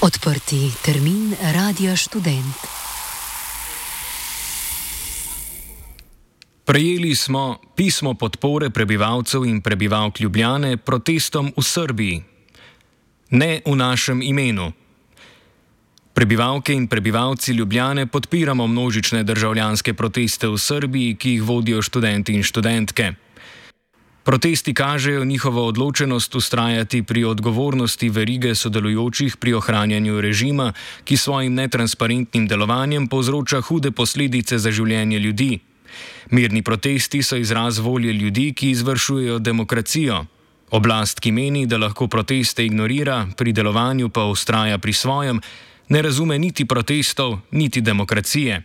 Odprti termin Radia Študent. Prejeli smo pismo podpore prebivalcev in prebivalk Ljubljane protestom v Srbiji. Ne v našem imenu. Prebivalke in prebivalci Ljubljane podpiramo množične državljanske proteste v Srbiji, ki jih vodijo študenti in študentke. Protesti kažejo njihovo odločenost vztrajati pri odgovornosti verige sodelujočih pri ohranjanju režima, ki svojim netransparentnim delovanjem povzroča hude posledice za življenje ljudi. Mirni protesti so izraz volje ljudi, ki izvršujejo demokracijo. Oblast, ki meni, da lahko proteste ignorira, pri delovanju pa vztraja pri svojem, ne razume niti protestov, niti demokracije.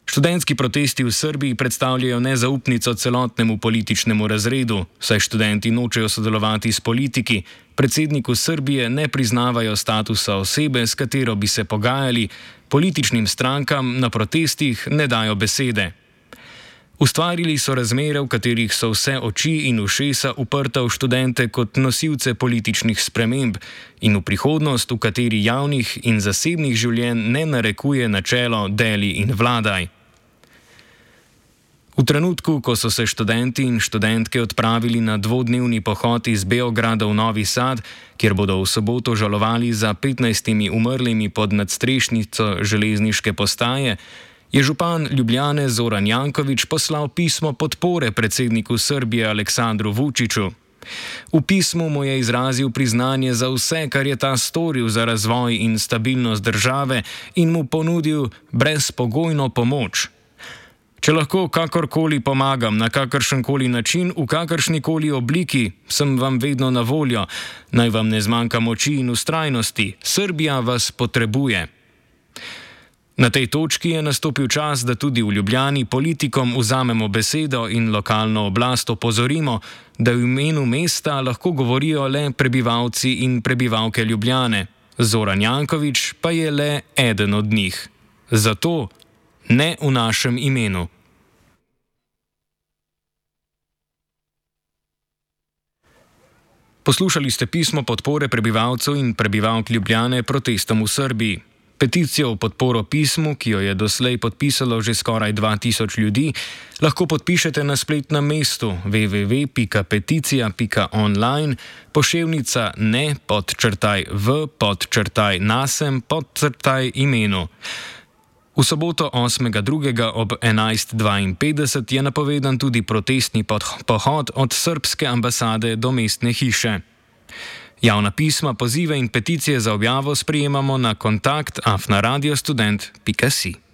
Študentski protesti v Srbiji predstavljajo nezaupnico celotnemu političnemu razredu, saj študenti nočejo sodelovati s politiki, predsedniku Srbije ne priznavajo statusa osebe, s katero bi se pogajali, političnim strankam na protestih ne dajo besede. Ustvarili so razmere, v katerih so vse oči in ušesa uprta v študente kot nosilce političnih sprememb in v prihodnost, v kateri javnih in zasebnih življenj ne narekuje načelo deli in vladaj. V trenutku, ko so se študenti in študentke odpravili na dvodnevni pohod iz Beograda v Novi Sad, kjer bodo v soboto žalovali za 15 umrlimi pod nadstrešnico železniške postaje, je župan Ljubljane Zoran Janković poslal pismo podpore predsedniku Srbije Aleksandru Vučiću. V pismu mu je izrazil priznanje za vse, kar je ta storil za razvoj in stabilnost države in mu ponudil brezpogojno pomoč. Če lahko kakorkoli pomagam, na kakršenkoli način, v kakršnikoli obliki, sem vam vedno na voljo. Naj vam ne zmanjka moči in vztrajnosti. Srbija vas potrebuje. Na tej točki je nastopil čas, da tudi v Ljubljani politikom vzamemo besedo in lokalno oblast opozorimo, da v imenu mesta lahko govorijo le prebivalci in prebivalke Ljubljane. Zoran Janković pa je le eden od njih. Zato ne v našem imenu. Poslušali ste pismo podpore prebivalcev in prebivalk Ljubljane protestom v Srbiji. Peticijo v podporo pismu, ki jo je doslej podpisalo že skoraj 2000 ljudi, lahko podpišete na spletnem mestu www.peticija.online, poševnica ne_v_nasem_imenu. V soboto 8.2. ob 11.52 je napovedan tudi protestni pohod od srbske ambasade do mestne hiše. Javna pisma, pozive in peticije za objavo sprejemamo na kontakt@radiostudent.si.